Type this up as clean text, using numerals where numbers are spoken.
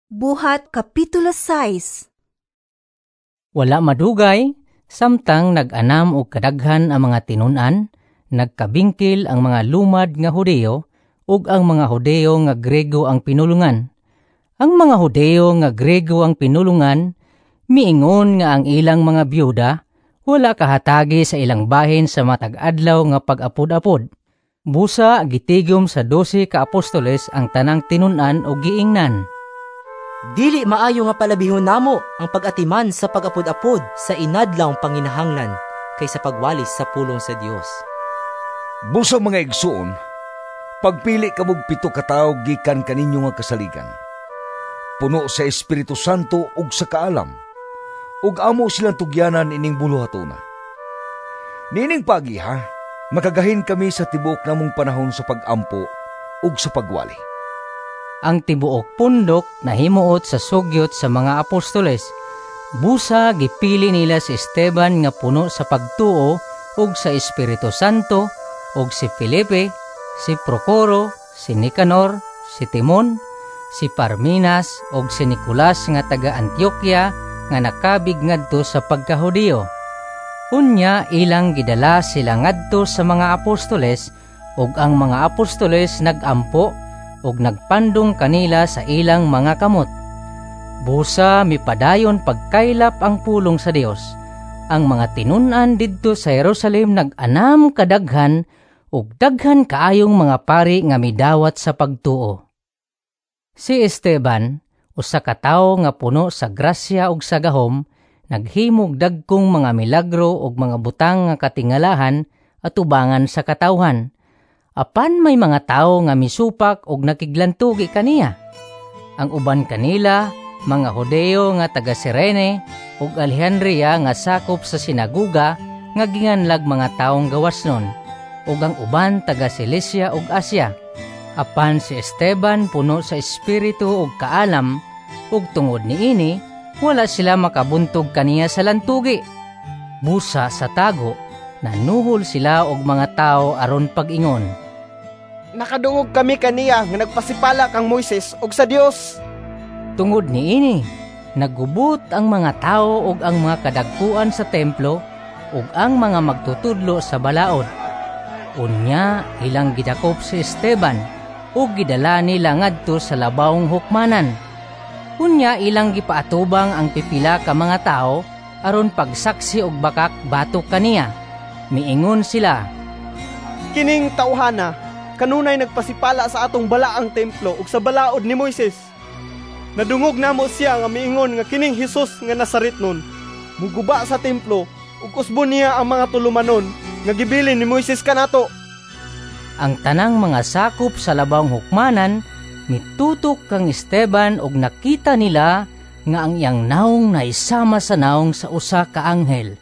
Buhat Kapitulo 6. Wala madugay, samtang nag-anam og kadaghan ang mga tinun-an, nagkabingkil ang mga lumad nga Hudiyo ug ang mga Hudiyo nga Grego ang pinulungan. Ang mga Hudiyo nga Grego ang pinulungan, miingon nga ang ilang mga byuda wala kahatagi sa ilang bahin sa matag adlaw nga pag-apod-apod. Busa gitigom sa 12 ka apostoles ang tanang tinun-an og giingnan, "Dili maayo nga palabihon namo ang pag-atiman sa pag-apod-apod sa inadlawng panginahanglan kaysa pagwalis sa pulong sa Dios. Busa, mga igsoon, pagpili kamog 7 ka tawo gikan kaninyo nga kasaligan, puno sa Espiritu Santo ug sa kaalam, ug amo silang tugyanan ining buluhatona. Niining pagiha, makagahin kami sa tibuok namong panahon sa pag-ampo ug sa pagwali." Ang tibuok pundok nahimuot sa sugyot sa mga apostoles. Busa gipili nila si Esteban nga puno sa pagtuo ug sa Espiritu Santo, ug si Felipe, si Procoro, si Nicanor, si Timon, si Parmenas ug si Nicolas nga taga Antioquia nga nakabig ngadto sa pagkahudiyo. Unya ilang gidala sila ngadto sa mga apostoles, ug ang mga apostoles nagampo ug nagpandong kanila sa ilang mga kamot. Busa mipadayon pagkaylap ang pulong sa Dios. Ang mga tinun-an didto sa Jerusalem nag-anam kadaghan ug daghan kaayong mga pari nga midawat sa pagtuo. Si Esteban, usa ka tawo nga puno sa grasya ug sa gahom, naghimog dagkong mga milagro ug mga butang nga katingalahan atubangan sa katawhan. Apan may mga tawo nga misupak og nakiglantugi kaniya. Ang uban kanila, mga Hudeo nga taga Sirene ug Alejandria nga sakop sa sinaguga nga ginganlag mga taong gawasnon, ug ang uban taga Cilicia ug Asia. Apan si Esteban puno sa espiritu ug kaalam, ug tungod niini wala sila makabuntog kaniya sa lantugi. Busa sa tago, nanuhol sila og mga tawo aron pag-ingon, "Nakadungog kami kaniya nga nagpasipala kang Moises ug sa Dios." Tungod niini, nagubot ang mga tawo ug ang mga kadagkuan sa templo ug ang mga magtutudlo sa balaod. Unya ilang gidakop si Esteban ug gidala nila ngadto sa labawong hukmanan. Unya ilang gipaatubang ang pipila ka mga tawo aron pagsaksi og bakak batok kaniya. Miingon sila, "Kining tawhana kanunay nagpasipala sa atong balaang templo ug sa balaod ni Moises. Nadungog namo siya nga miingon nga kining Hesus nga Nazaretnon muguba sa templo ug usbon niya ang mga tulumanon nga gibilin ni Moises kanato." Ang tanang mga sakop sa labawong hukmanan mitutok kang Esteban ug nakita nila nga ang iyang nawong naisama sa nawong sa usa ka anghel.